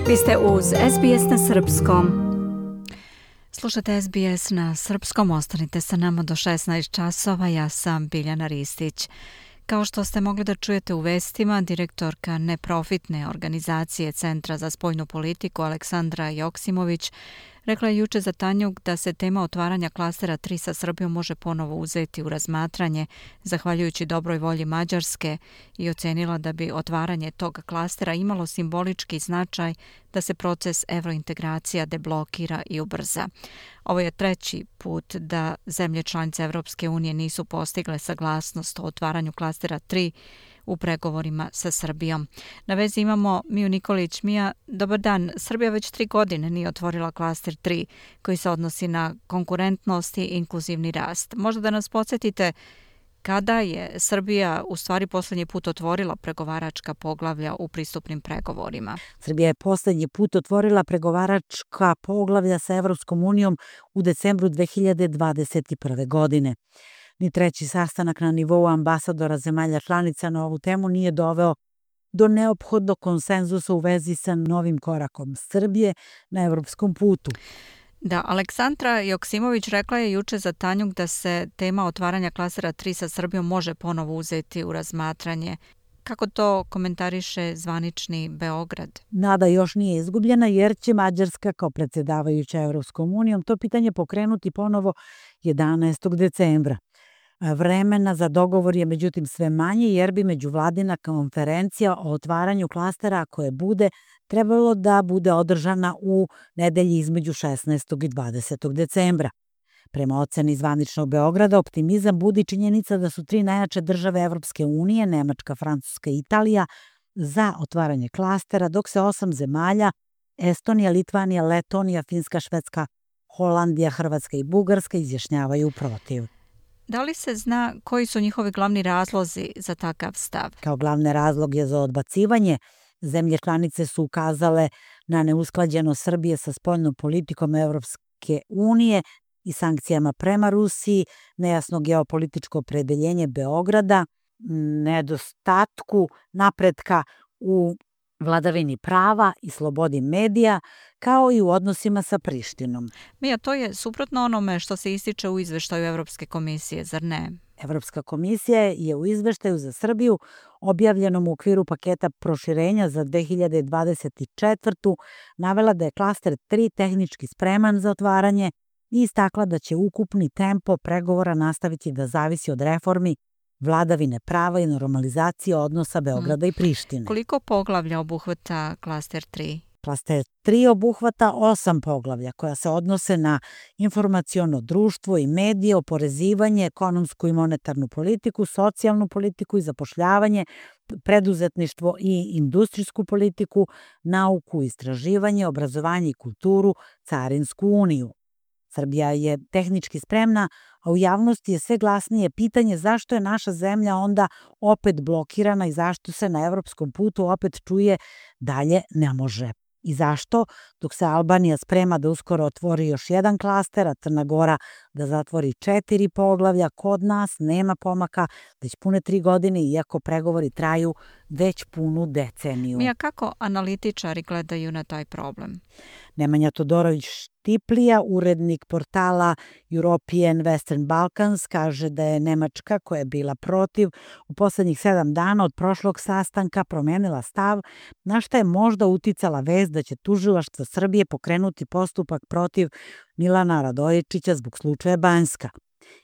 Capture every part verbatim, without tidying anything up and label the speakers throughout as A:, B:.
A: Vi ste uz S B S na srpskom.
B: Slušate S B S na srpskom, ostanite sa nama do šesnaest časova, ja sam Biljana Ristić. Kao što ste mogli da čujete u vestima, direktorka neprofitne organizacije Centra za spoljnu politiku Aleksandra Joksimović rekla je juče za Tanjug da se tema otvaranja klastera tri sa Srbijom može ponovo uzeti u razmatranje, zahvaljujući dobroj volji Mađarske, i ocenila da bi otvaranje tog klastera imalo simbolički značaj da se proces evrointegracija deblokira i ubrza. Ovo je treći put da zemlje članice Evropske unije nisu postigle saglasnost o otvaranju klastera tri u pregovorima sa Srbijom. Na vezi imamo Miju Nikolić. Mija, dobar dan. Srbija već tri godine nije otvorila klaster tri koji se odnosi na konkurentnost i inkluzivni rast. Možda da nas podsjetite kada je Srbija u stvari posljednji put otvorila pregovaračka poglavlja u pristupnim pregovorima?
C: Srbija je posljednji put otvorila pregovaračka poglavlja sa Evropskom unijom u decembru dve hiljade dvadeset prve. godine. Ni treći sastanak na nivou ambasadora zemalja članica na ovu temu nije doveo do neophodnog konsenzusa u vezi sa novim korakom Srbije na evropskom putu.
B: Da, Aleksandra Joksimović rekla je juče za Tanjug da se tema otvaranja klastera tri sa Srbijom može ponovo uzeti u razmatranje. Kako to komentariše zvanični Beograd?
C: Nada još nije izgubljena jer će Mađarska kao predsjedavajuća Evropskom unijom to pitanje pokrenuti ponovo jedanaestog decembra. Vremena za dogovor je međutim sve manje jer bi međuvladina konferencija o otvaranju klastera koje bude trebalo da bude održana u nedelji između šesnaestog i dvadesetog decembra. Prema oceni zvaničnog Beograda, optimizam budi činjenica da su tri najjače države Evropske unije, Nemačka, Francuska i Italija, za otvaranje klastera, dok se osam zemalja, Estonija, Litvanija, Letonija, Finska, Švedska, Holandija, Hrvatska i Bugarska, izjašnjavaju protiv.
B: Da li se zna koji su njihovi glavni razlozi za takav stav?
C: Kao glavne razloge za odbacivanje, zemlje članice su ukazale na neusklađenost Srbije sa spoljnom politikom Evropske unije i sankcijama prema Rusiji, nejasno geopolitičko opredeljenje Beograda, nedostatku napretka u vladavini prava i slobodi medija, kao i u odnosima sa Prištinom.
B: Mija, to je suprotno onome što se ističe u izveštaju Evropske komisije, zar ne?
C: Evropska komisija je u izveštaju za Srbiju, objavljenom u okviru paketa proširenja za dve hiljade dvadeset četvrtu. navela da je klaster tri tehnički spreman za otvaranje i istakla da će ukupni tempo pregovora nastaviti da zavisi od reformi, vladavine prava i normalizacije odnosa Beograda mm. i Prištine.
B: Koliko poglavlja obuhvata klaster tri?
C: Klaster tri obuhvata osam poglavlja koja se odnose na informaciono društvo i medije, oporezivanje, ekonomsku i monetarnu politiku, socijalnu politiku i zapošljavanje, preduzetništvo i industrijsku politiku, nauku, istraživanje, obrazovanje i kulturu, carinsku uniju. Srbija je tehnički spremna, a u javnosti je sve glasnije pitanje zašto je naša zemlja onda opet blokirana i zašto se na evropskom putu opet čuje dalje ne može. I zašto, dok se Albanija sprema da uskoro otvori još jedan klaster, a Crna Gora da zatvori četiri poglavlja, kod nas nema pomaka već pune tri godine, iako pregovori traju već punu deceniju.
B: Mija, kako analitičari gledaju na taj problem?
C: Nemanja Todorović Štiplija, urednik portala European Western Balkans, kaže da je Nemačka, koja je bila protiv, u poslednjih sedam dana od prošlog sastanka promenila stav, na šta je možda uticala vest da će tužilaštvo Srbije pokrenuti postupak protiv Milana Radojičića zbog slučaja Banjska.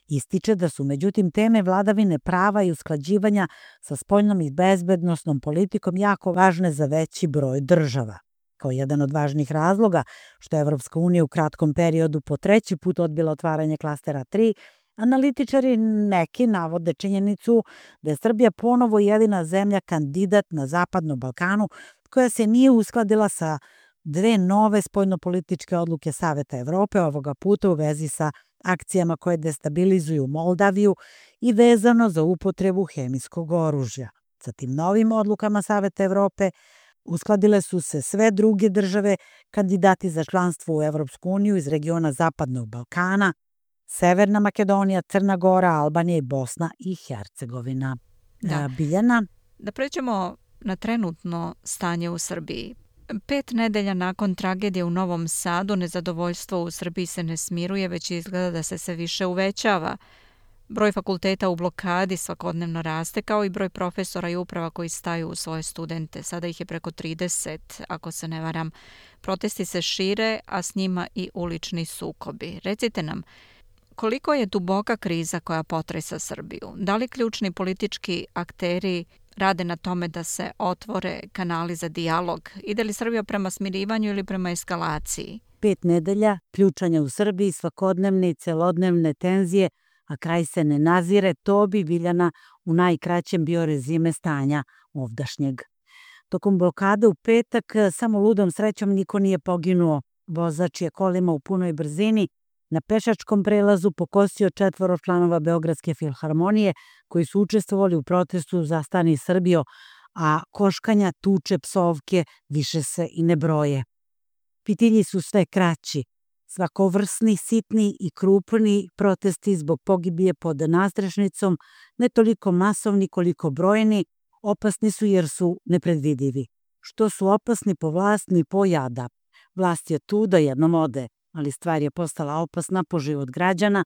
C: Ističe da su međutim teme vladavine prava i usklađivanja sa spoljnom i bezbednosnom politikom jako važne za veći broj država. Kao jedan od važnih razloga što je Evropska unija u kratkom periodu po treći put odbila otvaranje klastera tri, analitičari neki navode činjenicu da je Srbija ponovo jedina zemlja kandidat na Zapadnom Balkanu koja se nije uskladila sa dve nove spoljnopolitičke odluke Saveta Evrope, ovoga puta u vezi sa akcijama koje destabilizuju Moldaviju i vezano za upotrebu hemijskog oružja. Sa tim novim odlukama Saveta Evrope uskladile su se sve druge države kandidati za članstvo u Evropsku uniju iz regiona Zapadnog Balkana, Severna Makedonija, Crna Gora, Albanija i Bosna i Hercegovina.
B: Da.
C: Biljana?
B: Da pređemo na trenutno stanje u Srbiji. Pet nedelja nakon tragedije u Novom Sadu nezadovoljstvo u Srbiji se ne smiruje, već izgleda da se sve više uvećava. Broj fakulteta u blokadi svakodnevno raste, kao i broj profesora i uprava koji staju u svoje studente. Sada ih je preko trideset, ako se ne varam. Protesti se šire, a s njima i ulični sukobi. Recite nam, koliko je duboka kriza koja potresa Srbiju? Da li ključni politički akteri rade na tome da se otvore kanali za dijalog? Ide li Srbija prema smirivanju ili prema eskalaciji?
C: Pet nedelja, ključanja u Srbiji, svakodnevne i celodnevne tenzije, a kraj se ne nazire, to bi, Biljana, u najkraćem bio rezime stanja ovdašnjeg. Tokom blokade u petak, samo ludom srećom niko nije poginuo. Vozač je kolima u punoj brzini na pešačkom prelazu pokosio četvoro članova Beogradske filharmonije koji su učestvovali u protestu za Stani Srbijo, a koškanja, tuče, psovke više se i ne broje. Pitilji su sve kraći. Svakovrsni, sitni i krupni protesti zbog pogibije pod nadstrešnicom, ne toliko masovni koliko brojni, opasni su jer su nepredvidivi. Što su opasni po vlast ni po jada. Vlast je tu da jednom ode, ali stvar je postala opasna po život građana,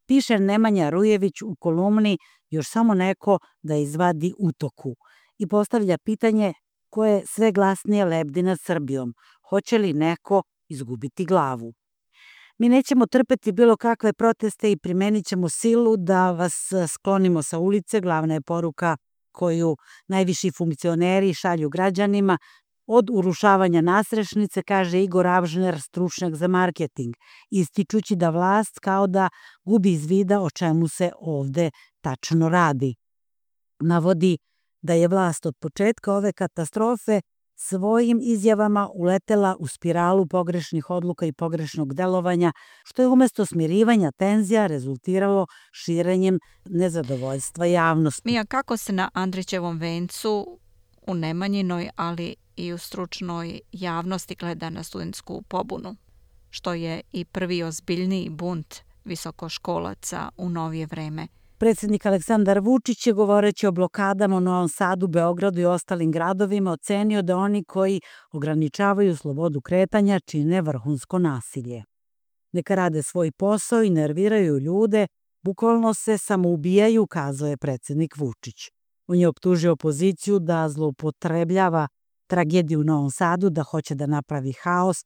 C: piše Nemanja Rujević u kolumni Još samo neko da izvadi utoku i postavlja pitanje ko je sve glasnije lebdi nad Srbijom, hoće li neko izgubiti glavu. Mi nećemo trpeti bilo kakve proteste i primenit ćemo silu da vas sklonimo sa ulice, glavna je poruka koju najviši funkcioneri šalju građanima. Od urušavanja nadstrešnice, kaže Igor Avžner, stručnjak za marketing, ističući da vlast kao da gubi iz vida o čemu se ovde tačno radi. Navodi da je vlast od početka ove katastrofe svojim izjavama uletela u spiralu pogrešnih odluka i pogrešnog delovanja, što je umesto smirivanja tenzija rezultiralo širenjem nezadovoljstva javnosti.
B: Mija, kako se na Andrićevom vencu u Nemanjinoj, ali i u stručnoj javnosti gleda na studentsku pobunu, što je i prvi ozbiljniji bunt visokoškolaca u novije vreme?
C: Predsjednik Aleksandar Vučić je, govoreći o blokadama u Novom Sadu, Beogradu i ostalim gradovima, ocenio da oni koji ograničavaju slobodu kretanja čine vrhunsko nasilje. Neka rade svoj posao i nerviraju ljude, bukvalno se samoubijaju, kazao je predsjednik Vučić. On je optužio opoziciju da zloupotrebljava tragediju u Novom Sadu, da hoće da napravi haos,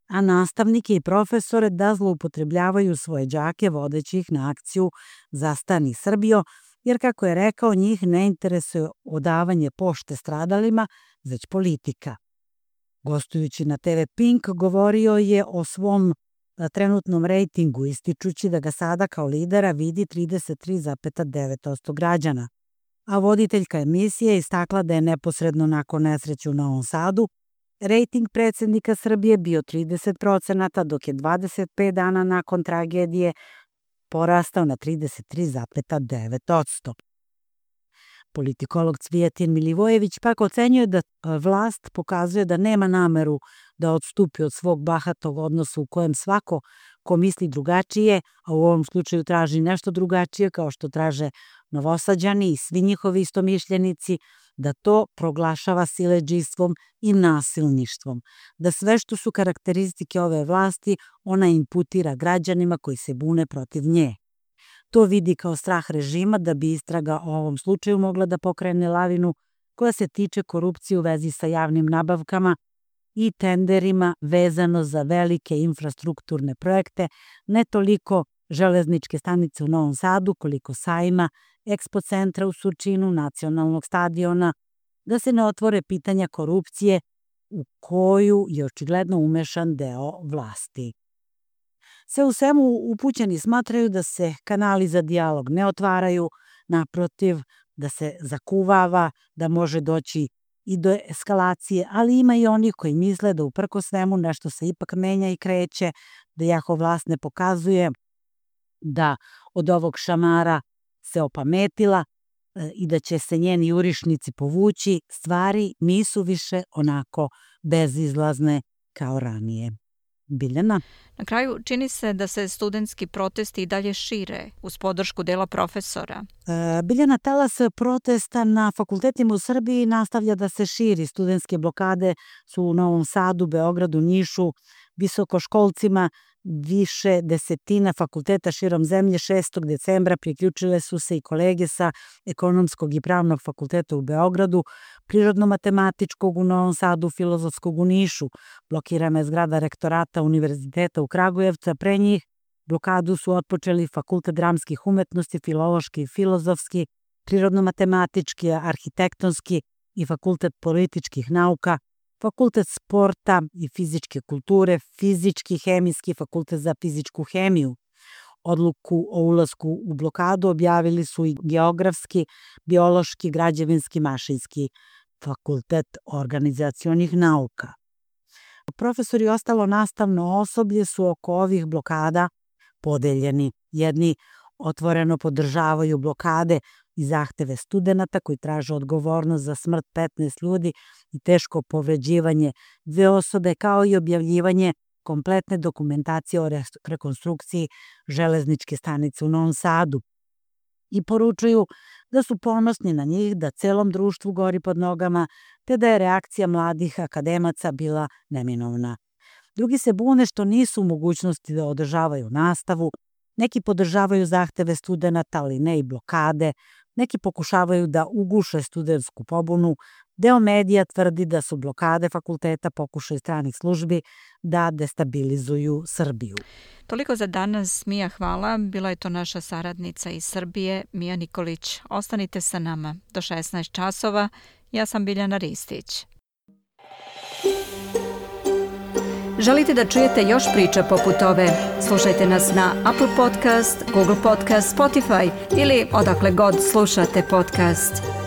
C: a nastavnike i profesore da zloupotrebljavaju svoje đake vodeći ih na akciju za Stani Srbijo, jer, kako je rekao, njih ne interesuje odavanje pošte stradalima, već politika. Gostujući na te ve Pink, govorio je o svom trenutnom rejtingu, ističući da ga sada kao lidera vidi trideset tri zarez devet posto građana. A voditeljka emisije istakla da je neposredno nakon nesreće u Novom Sadu rejting predsjednika Srbije bio trideset procenata, dok je dvadeset pet dana nakon tragedije porastao na trideset tri zarez devet posto. Politikolog Cvijetin Milivojević pak ocenjuje da vlast pokazuje da nema nameru da odstupi od svog bahatog odnosa u kojem svako ko misli drugačije, a u ovom slučaju traži nešto drugačije, kao što traže Novosađani i svi njihovi istomišljenici, da to proglašava siledžijstvom i nasilništvom, da sve što su karakteristike ove vlasti ona imputira građanima koji se bune protiv nje. To vidi kao strah režima da bi istraga o ovom slučaju mogla da pokrene lavinu koja se tiče korupcije u vezi sa javnim nabavkama i tenderima vezano za velike infrastrukturne projekte, ne toliko železničke stanice u Novom Sadu, koliko sajma, Expo centra u Surčinu, nacionalnog stadiona, da se ne otvore pitanja korupcije u koju je očigledno umešan deo vlasti. Sve u svemu, upućeni smatraju da se kanali za dijalog ne otvaraju, naprotiv, da se zakuvava, da može doći i do eskalacije, ali ima i onih koji misle da uprko svemu nešto se ipak menja i kreće, da jako vlast ne pokazuje da od ovog šamara se opametila i da će se njeni jurišnici povući, stvari nisu više onako bezizlazne kao ranije. Biljana?
B: Na kraju čini se da se studentski protesti i dalje šire uz podršku dela profesora.
C: E, Biljana, talas protesta na fakultetima u Srbiji nastavlja da se širi. Studentske blokade su u Novom Sadu, Beogradu, Nišu, visokoškolcima više desetina fakulteta širom zemlje. šestog decembra priključile su se i kolege sa Ekonomskog i Pravnog fakulteta u Beogradu, Prirodno-matematičkog u Novom Sadu, Filozofskog u Nišu. Blokirana je zgrada rektorata Univerziteta u Kragujevcu, a pre njih blokadu su otpočeli Fakultet dramskih umetnosti, Filološki i Filozofski, Prirodno-matematički, Arhitektonski i Fakultet političkih nauka, Fakultet sporta i fizičke kulture, Fizički, Hemijski, Fakultet za fizičku hemiju. Odluku o ulasku u blokadu objavili su i Geografski, Biološki, Građevinski, Mašinski, Fakultet organizacionih nauka. Profesori i ostalo nastavno osoblje su oko ovih blokada podeljeni. Jedni otvoreno podržavaju blokade i zahteve studenata koji traže odgovornost za smrt petnaest ljudi i teško povređivanje dve osobe, kao i objavljivanje kompletne dokumentacije o rekonstrukciji železničke stanice u Novom Sadu. I poručuju da su ponosni na njih, da celom društvu gori pod nogama, te da je reakcija mladih akademaca bila neminovna. Drugi se bune što nisu u mogućnosti da održavaju nastavu, neki podržavaju zahteve studenata, ali ne i blokade, neki pokušavaju da uguše studentsku pobunu, deo medija tvrdi da su blokade fakulteta pokušaj stranih službi da destabilizuju Srbiju.
B: Toliko za danas, Mija, hvala. Bila je to naša saradnica iz Srbije, Mija Nikolić. Ostanite sa nama do šesnaest časova. Ja sam Biljana Ristić.
A: Želite da čujete još priča poput ove? Slušajte nas na Apple Podcast, Google Podcast, Spotify ili odakle god slušate podcast.